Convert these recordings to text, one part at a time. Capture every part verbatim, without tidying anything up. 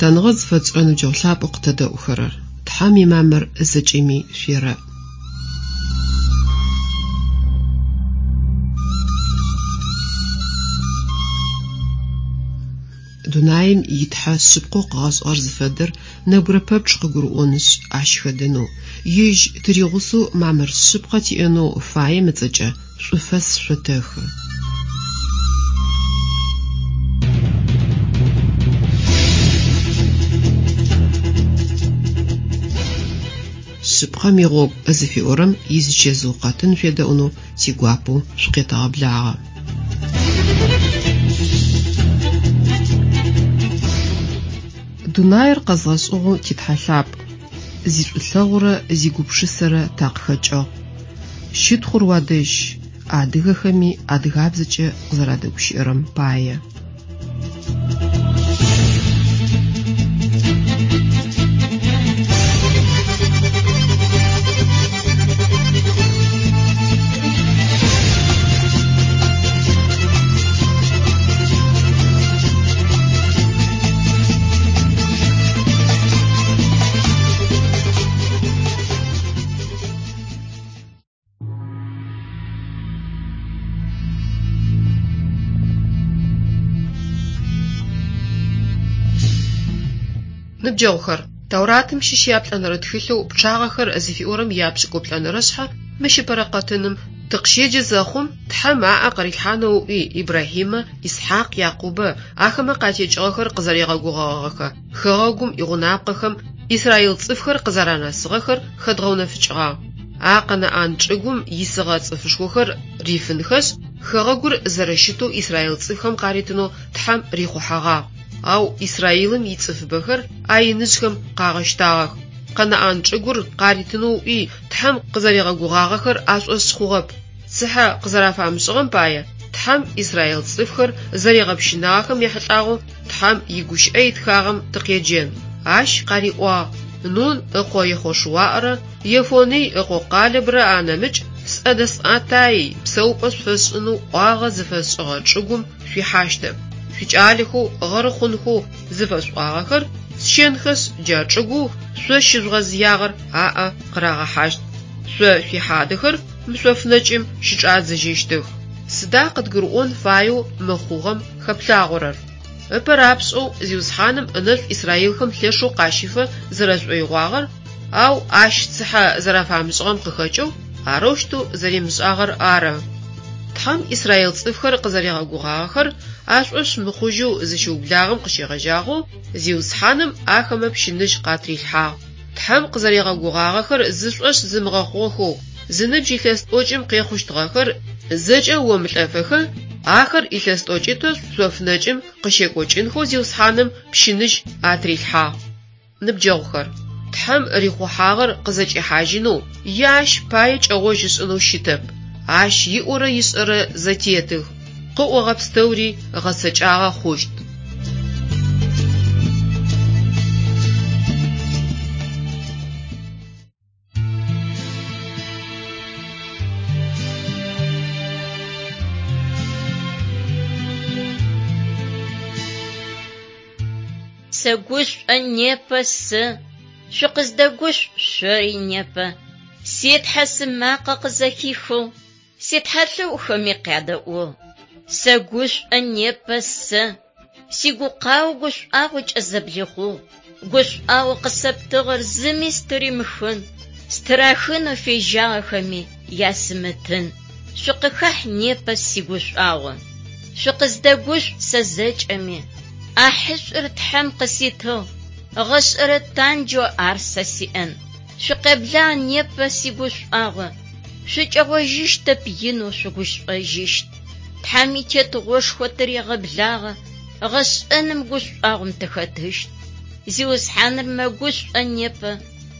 Лъытэныгъэ зыфэтшӏырэ ныбджэгъу лъапӏэу къытэдэӏухэрэр, Тхьэм имамыр зэкӏэми шъуерэӏ. Дунаим итхьэ шъыпкъэу къыгъэшӏыгъэр зыфэдэр нэбгырэ пэпчъ къыгурыӏонышъ, ащ хэдэнэу, ежь тыригъусэу мамыр шъыпкъэ тиӏэнэу фаем ыцӏэкӏэ шӏуфэс шъотэхы. Шъыпкъэм игъогу зыфиӏорэм изичэзыу къэтын шъуедэӏунэу тигуапэу шъукъетэгъэблагъэ. Дунаир къэзгъэшӏыгъэу титхьэ лъапӏ, зишӏулъэгъурэ зигупшысэрэ такъыхэкӏыгъ. Щытхъур уадэжь, адыгэхэми адыгабзэкӏэ къызэрадэгущыӏэрэм пае. Ныбджэгъухэр, Тауратым щыщ яплӏэнэрэ тхылъэу «Пчъагъэхэр» зыфиӏорэм ияпшӏыкӏуплӏэнэрэ шъхьэ мыщ ыпэрэ къэтыным тыкъыщеджэ зэхъум, Тхьэм аӏэ къырилъхьанэу ыӏуи Ибрахьимэ, Исхьакъ, Якъубэ ахэмэ къатекӏыгъэхэр къызэригъэгугъэгъэхэ хэгъэгум игъунапкъэхэм Израил цӏыфхэр къызэранэсыгъэхэр хэдгъэунэфыкӏыгъагъ. А Къэнаӏан чӏыгум исыгъэ цӏыфышхохэр рифынхэшъ, хэгъэгур зэрэщытэу Израил цӏыфхэм къаритынэу Тхьэм рихъухьэгъагъ. Ау Израилым ицӏыфыбэхэр а иныжъхэм къагъэщтагъэх. Къэнаӏан чӏыгур къаритынэу ыӏуи Тхьэм къызэригъэгугъагъэхэр ашӏошъ хъугъэп. Цыхьэ къызэрафамышӏыгъэм пае Тхьэм Израил цӏыфхэр зэригъэпщынагъэхэм ехьылӏагъэу Тхьэм игущыӏэ итхагъэм тыкъеджэн. Ащ къариӏуагъ: Нун ыкъо Ехъошуарэ Ефоный ыкъо Къалэбрэ анэмыкӏ сӏэ дэсӏатаий псэупӏэ шъуфэсшӏынэу ӏуагъэ зыфэсшӏыгъэ чӏыгум шъуихьащтэп. Шъуикӏалэхэу гъэры хъунхэу зыфэсӏуагъэхэр сщэнхэшъ, джа чӏыгоу шъо щыжъугъэзыягъэр аӏэ къырагъэхьащт. Шъо шъуихьадэхэр мы шъоф нэкӏым щычӏадзэжьыщтых. Сыда къыдгурыӏон фаеу мы хъугъэм хэплъагъорэр? Ыпэ рапшӏэу Зиусхьаным ынэшӏу Израилхэм лъэшэу къащифэ зэрэшӏоигъуагъэр, ау ащ цыхьэ зэрафамышӏыгъэм къыхэкӏэу арэущтэу зэримышӏагъэр ары. Тхьэм Израил цӏыфхэр къызэригъэгугъагъэхэр ашӏошъ мыхъужьэу зыщиублагъэм къыщегъэжьагъэу Зиусхьаным ахэмэ пщыныжь къатрилъхьагъ. Тхьэм къызэригъэгугъагъэхэр зышӏошъ зымыгъэхъугъэхэу зыныбжь илъэс тӏокӏым къехъущтыгъэхэр зэкӏэ омылӏэфэхэ, ахэр илъэс тӏокӏитӏо шъоф нэкӏым къыщекӏокӏынхэу Зиусхьаным пщыныжь атрилъхьагъ. Ныбджэгъухэр, Тхьэм рихъухьагъэр къызэкӏихьажьынэу е ащ пае кӏэгъожь ышӏынэу щытэп. Ащ иӏорэ ишӏэрэ зэтетых, къыӏогъэ пстэури гъэцэкӏагъэ хъущт. Сэгушӏо непэ сэ, шъукъыздэгушӏу шъори непэ. Си Тхьэ сымакъэ къызэхихыгъ, си тхьэлъэӏухэми къядэӏугъ. Сэгушӏо непэ сэ, сигукъао гушӏуагъокӏэ зэблихъугъ. Гушӏуагъо къысэптыгъэр зыми стыримыхын, стырахынэу фежьагъэхэми ясымытын. Шъукъыхахь непэ сигушӏуагъо. Шъукъыздэгушӏу сэ зэкӏэми. Ӏахьышӏур Тхьэм къыситыгъ, гъэшӏэрэ танджэу ар сэ сиӏэн. Шъукъеблагъ непэ сигушӏуагъо, шъукӏэгъожьыщтэп инэу шъугушӏожьыщт. Тхьэм итетыгъошхо тырегъэблагъэ, гъэшӏэным гушӏуагъом тыхэтыщт. Зиусхьаныр мэгушӏо непэ,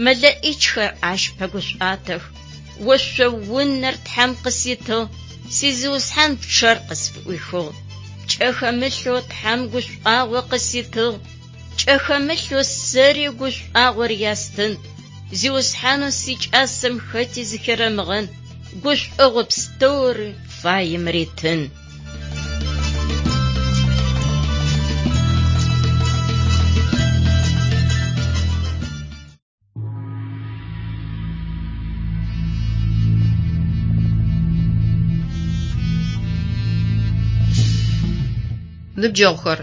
мэлэӏичхэр ащ пэгушӏуатэх. Ошъо унэр Тхьэм къыситыгъ, си Зиусхьан пчъэр къысфыӏуихыгъ. Пкӏэ хэмылъэу Тхьэм гушӏуагъо къыситыгъ, пкӏэ хэмылъэу сэри гушӏуагъор ястын. Зиусхьанэу сикӏасэм хэти зыхерэмыгъэн, гушӏогъо пстэури фаем ритын. Ныбджэгъухэр,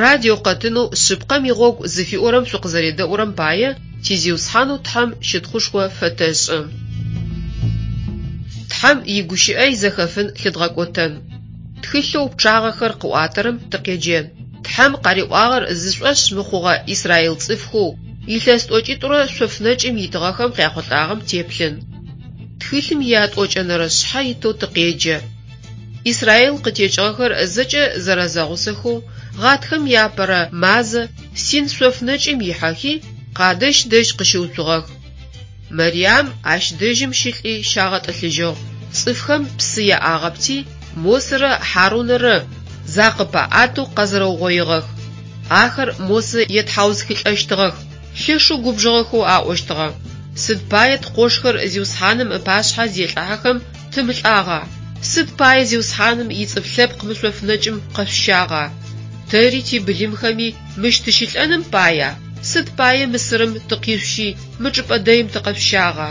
радио къэтынэу «Шъыпкъэм игъогу» зыфиӏорэм шъукъызэредэӏурэм пае ти Зиусхьанэу Тхьэм щытхъушхо фэтэшӏы. Тхьэм игущыӏэ изэхэфын лъыдгъэкӏотэн. Тхылъэу пчъагъэхэр къыӏуатэрэм тыкъеджэн. Тхьэм къариӏуагъэр зышӏошъ мыхъугъэ Израил цӏыфхэу илъэс тӏокӏитӏурэ шъоф нэкӏым итыгъэхэм къяхъулӏагъэм теплъын. Тхылъым иятӏокӏэнэрэ шъхьэ итэу тыкъеджэ. Израил къытекӏыгъэхэр зэкӏэ зэрэзэгъусэхэу гъатхэм иапэрэ мазэ Син шъоф нэкӏым ихьэхи, Къадэщ дэжь къыщыуцугъэх. Мэрьям ащ дэжьым щылӏи щагъэтӏылъыжьыгъ. Цӏыфхэм псы яӏагъэпти, Мосэрэ Хьарунэрэ закъыпаӏэтэу къэзэрэугъоигъэх. Ахэр Мосэ етхьаусхылӏэщтыгъэх, лъэшэу губжыгъэхэу аӏощтыгъэ: «Сыд пае ткъошхэр Зиусхьаным ыпашъхьэ зелӏыхьэхэм тымылӏагъа? Сыд пае Зиусхьаным ицӏыф лъэпкъ мы шъоф нэкӏым къэшъущагъа? Тэри тибылымхэми мыщ тыщылӏэным пая? Сыд пае Мысырым тыкъишъущи мы чӏыпӏэ дэим тыкъэшъущагъа?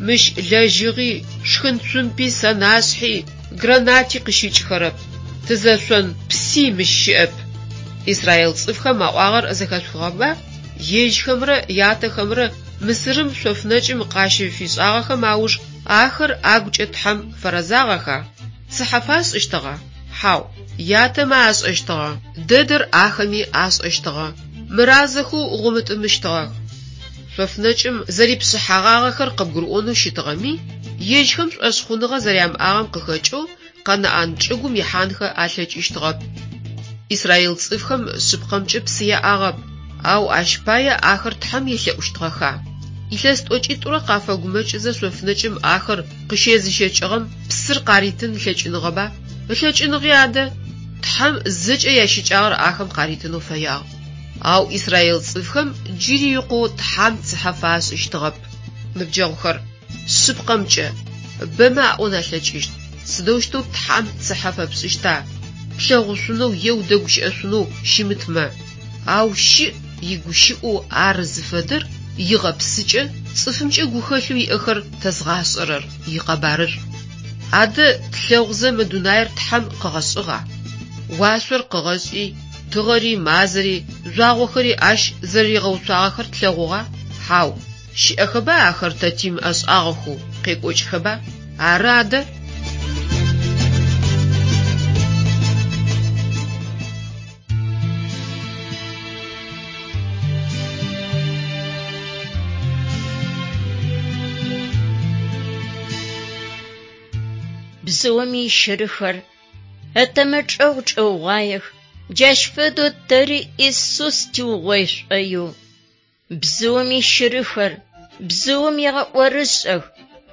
Мыщ лэжьыгъи, шхын цумпи, сэнашъхьи, гранати къыщыкӏхэрэп. Тызэшъон пси мыщ щыӏэп». Израил цӏыфхэм аӏуагъэр зэхэшъухыгъэба? Ежьхэмрэ ятэхэмрэ Мысырым шъоф нэкӏым къащыфишӏагъэхэм ауж ахэр агукӏэ Тхьэм фэрэзагъэха? Цыхьэ фашӏыщтыгъа? Хьау, ятэмэ ашӏэщтыгъэ, дэдэр ахэми ашӏэщтыгъэ, мыразэхэу гъумытӏымыщтыгъэх. Шъоф нэкӏым зэрипшъыхьэгъагъэхэр къыбгурыӏонэу щытыгъэми, ежьхэм шӏошъхъуныгъэ зэрямыӏагъэм къыхэкӏэу Къэнаӏан чӏыгум ихьанхэ алъэкӏыщтыгъэп. Израил цӏыфхэм шъыпкъэмкӏэ псы яӏагъэп, ау ащ пае ахэр Тхьэм елъэӏущтыгъэха? Илъэс тӏокӏитӏурэ къафэгумэкӏызэ шъоф нэкӏым ахэр къыщезыщэкӏыгъэм псыр къаритын ылъэкӏыныгъэба? Ылъэкӏыныгъи адэ! Тхьэм зэкӏэ ящыкӏагъэр ахэм къаритынэу фэягъ. Ау Израил цӏыфхэм джыри икъоу Тхьэм цыхьэ фашӏыщтыгъэп. Ныбджэгъухэр, шъыпкъэмкӏэ, бэмэ аӏон алъэкӏыщт: сыдэущтэу Тхьэм цыхьэ фэпшӏыщта, плъэгъушъунэу е удэгущыӏэшъунэу щымытмэ? Ау щыӏ игущыӏэу ар зыфэдэр игъэпсыкӏэ, цӏыфымкӏэ гухэлъэу иӏэхэр тэзгъашӏэрэр, икъэбарышӏу. Адэ тлъэгъузэ мы дунаир Тхьэм къыгъэшӏыгъа? Уашъор къыгъэшӏи, тыгъэри, мазэри, жъуагъохэри ащ зэрэригъэуцуагъэхэр тлъэгъугъа? Хьау, щыӏэхэба ахэр тэ тимыӏэшӏагъэхэу, къекӏокӏхэба? Ары адэ! Бзыум ищырыхэр ытэмэ чӏэгъ чӏэугъуаех, джащ фэдэу тэри Исус тиугъой шӏоигъу. Бзыум ищырыхэр бзыум егъэӏорышӏэх,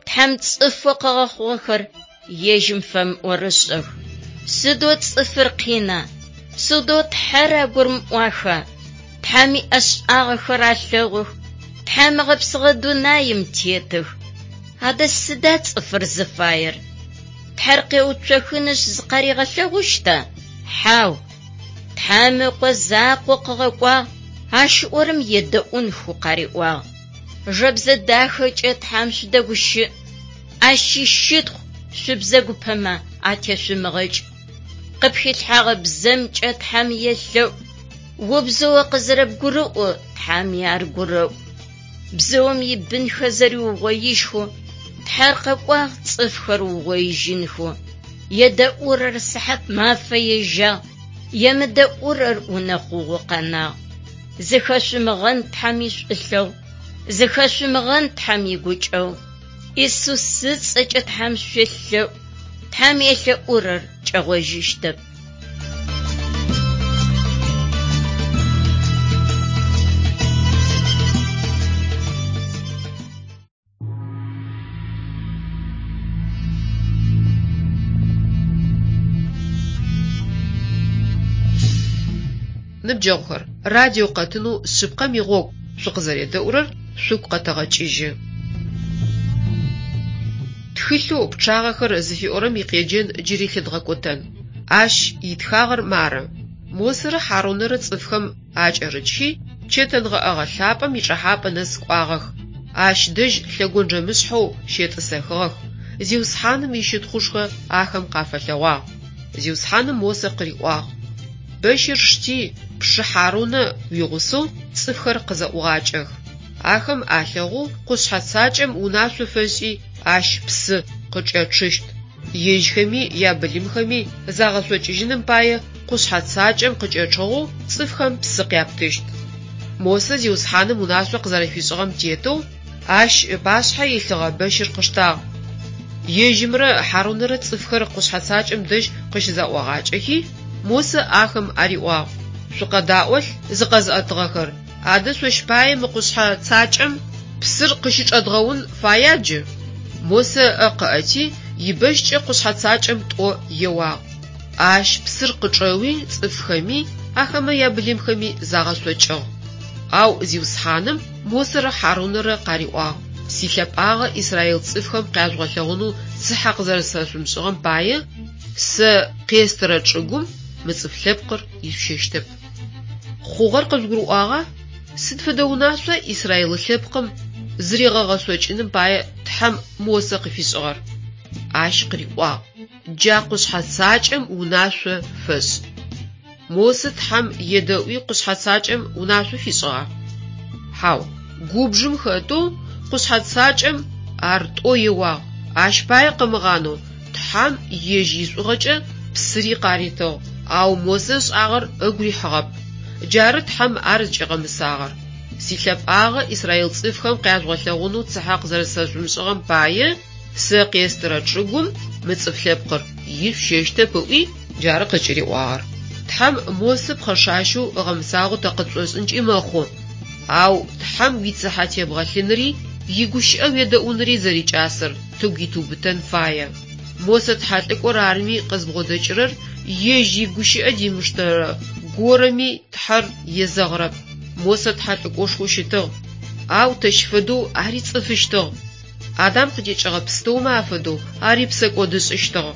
Тхьэм цӏыфэу къыгъэхъугъэхэр ежьым фэмыӏорышӏэх. Сыдэу цӏыфыр къина, сыдэу Тхьэр агурымыӏуаха? Тхьэм иӏэшӏагъэхэр алъэгъух, Тхьэм ыгъэпсыгъэ дунаим тетых. Адэ сыда цӏыфыр зыфаер? Тхьэр къеуцохынышъ зыкъаригъэлъэгъущта? Хьау! Тхьэм ыкъо закъо къыгъэкӏуагъ, ащ ыӏорэм едэӏунхэу къариӏуагъ. Жэбзэ дахэкӏэ Тхьэм шъудэгущыӏ, ащ ищытхъу шъубзэгупэмэ атешъумыгъэкӏ. Къыпхилъхьэгъэ бзэмкӏэ Тхьэм елъэӏу, убзэу къызэрэбгурыӏо Тхьэми ар гурэӏу. Бзыум ибынхэр зэриугъоижьхэу Тхьэр къэкӏуагъ цӏыфхэр угъоижьынхэу. Едэӏурэр сыхьат мафэ ежьагъ, емыдэӏурэр унэхъугъэу къэнагъ. Зыхэшъумыгъэн Тхьэм ишӏулъэгъу, зыхэшъумыгъэн Тхьэм игукӏэгъу. Исус ыцӏэкӏэ Тхьэм шъуелъэӏу, Тхьэм елъэӏурэр кӏэгъожьыщтэп. Ныбджэгъухэр, радио къэтынэу «Шъыпкъэм игъогу» шъукъызэредэӏурэр шъугу къэтэгъэкӏыжьы. Тхылъэу «Пчъагъэхэр» зыфиӏорэм икъеджэн джыри лъыдгъэкӏотэн. Ащ итхагъэр мары: Мосэрэ Хьарунэрэ цӏыфхэм акӏэрыкӏхи, чэтэнгъэӏэгъэ лъапӏэм ичӏэхьапӏэ нэс кӏуагъэх. Ащ дэжь лъэгонджэмышъхьэу щетӏысэхыгъэх. Зиусхьаным ищытхъушхо ахэм къафэлъэгъуагъ. Зиусхьаным Мосэ къыриӏуагъ: Бэщыр шти, пшы Хьарунэ уигъусэу цӏыфхэр къызэӏугъакӏэх. Ахэм алъэгъоу къушъхьэ цакӏэм унашъо фэшӏи, ащ псы къыкӏэчъыщт. Ежьхэми ябылымхэми загъэшъокӏыжьыным пае къушъхьэ цакӏэм къыкӏэчъыгъэу цӏыфхэм псы къяптыщт. Мосэ Зиусхьаным унашъо къызэрэфишӏыгъэм тетэу ащ ыпашъхьэ илъыгъэ бэщыр къыштагъ. Ежьымрэ Хьарунэрэ цӏыфхэр къушъхьэ цакӏэм дэжь къыщызэӏуагъакӏэхи, Мосэ ахэм ариӏуагъ: «Шъукъэдаӏолъ, зыкъэзыӏэтыгъэхэр, адэ шъощ пае мы къушъхьэ цакӏэм псыр къыщычӏэдгъэун фая джы?» Мосэ ыӏэ къыӏэти, ибэщкӏэ къушъхьэ цакӏэм тӏо еуагъ. Ащ псыр къычӏэуи цӏыфхэми, ахэмэ ябылымхэми загъэшъокӏыгъ. Ау Зиусхьаным Мосэрэ Хьарунэрэ къариӏуагъ: «Силъэпӏагъэ израиль цӏыфхэм къяжъугъэлъэгъунэу цыхьэ къызэрэсэшъумышӏыгъэм пае, сэ къестырэ чӏыгум мы цӏыф лъэпкъыр ишъущэщтэп». Хъугъэр къыжъугурыӏуагъа? Сыд фэдэ унашъуа израиль лъэпкъым зыригъэгъэшъокӏыным пае Тхьэм Мосэ къыфишӏыгъэр? Ащ къыриӏуагъ: «Джа къушъхьэ цакӏэм унашъо фэшӏ». Мосэ Тхьэм едэӏуи къушъхьэ цакӏэм унашъо фишӏыгъа? Хьау, губжым хэтэу къушъхьэ цакӏэм ар тӏо еуагъ, ащ пае къымыгъанэу Тхьэм ежь ишӏугъэкӏэ псыри къаритыгъ, ау Мосэ ышӏагъэр ыгу рихьыгъэп. Джары Тхьэм ар зыкӏигъэмысагъэр. Силъэпӏагъэ израиль цӏыфхэм къяжъугъэлъэгъунэу цыхьэ къызэрэсэшъумышӏыгъэм пае, сэ къестырэ чӏыгум мы цӏыф лъэпкъыр ишъущэщтэп ыӏуи, джары къыкӏыриӏуагъэр. Тхьэм Мосэ пхъэшащэу ыгъэмысагъэу тэ къытшӏошӏынкӏи мэхъу. Ау Тхьэм уицыхьэ тебгъэлъыныри, игущыӏэ уедэӏуныри зэрикӏасэр тыгу итыубытэн фае. Мосэ тхьэлӏыкӏор арми къызбгъодэкӏырэр ежь игущыӏэ димыштэрэ горэми Тхьэр езэгъырэп. Мосэ тхьэлӏыкӏошхоу щытыгъ, ау тэщ фэдэу ари цӏыфыщтыгъ. Адам къытекӏыгъэ пстэумэ афэдэу ари псэкӏодышӏыщтыгъ.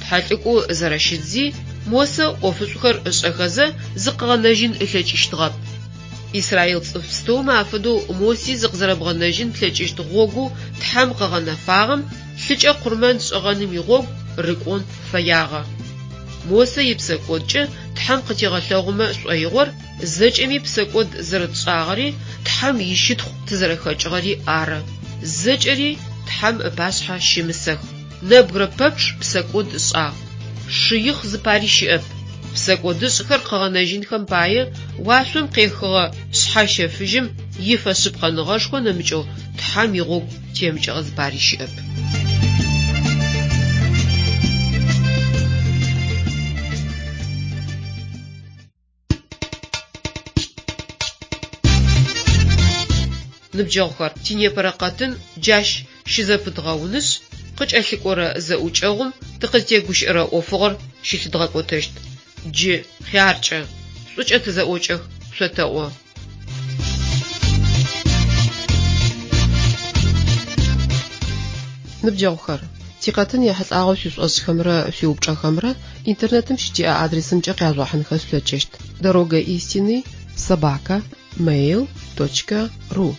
Тхьэлӏыкӏоу зэрэщытзи, Мосэ ӏофышӏухэр ышӏэхэзэ зыкъыгъэнэжьын ылъэкӏыщтыгъэп. Израиль цӏыф пстэумэ афэдэу Моси зыкъызэрэбгъэнэжьын плъэкӏыщт гъогоу Тхьэм къыгъэнэфагъэм лъыкӏэ къурмэн шӏыгъэным игъогу рыкӏон фэягъэ. Мосэ ипсэкӏодкӏэ Тхьэм къытигъэлъэгъумэ шӏоигъор зэкӏэми псэкӏод зэрэтшӏагъэри, Тхьэм ищытхъу тызэрэхэкӏыгъэри ары. Зэкӏэри Тхьэм ыпашъхьэ щымысэх. Нэбгырэ пэпчъ псэкӏод ышӏагъ. Шыихъ зыпари щыӏэп. Псэкӏодышӏхэр къыгъэнэжьынхэм пае уашъом къехыгъэ Шъхьэщэфыжьым ифэшъыпкъэныгъэшхо нэмыкӏэу Тхьэм игъогу темыкӏыгъэ зыпари щыӏэп. Ныбджэгъухэр, тинепэрэ къэтын джащ щызэпыдгъэунышъ, къыкӏэлъыкӏорэ зэӏукӏэгъум тыкъызтегущыӏэрэ ӏофыгъор щылъыдгъэкӏотэщт. Джы хъяркӏэ, шӏукӏэ тызэӏокӏэх, шъотэӏо. Ныбджэгъухэр, тикъэтын ехьылӏагъэу шъуишӏошӏхэмрэ шъуиупчӏэхэмрэ интернетым щытиӏэ адресымкӏэ къяжъугъэхьынхэ шъулъэкӏыщт: дорога истины собака mail точка ру.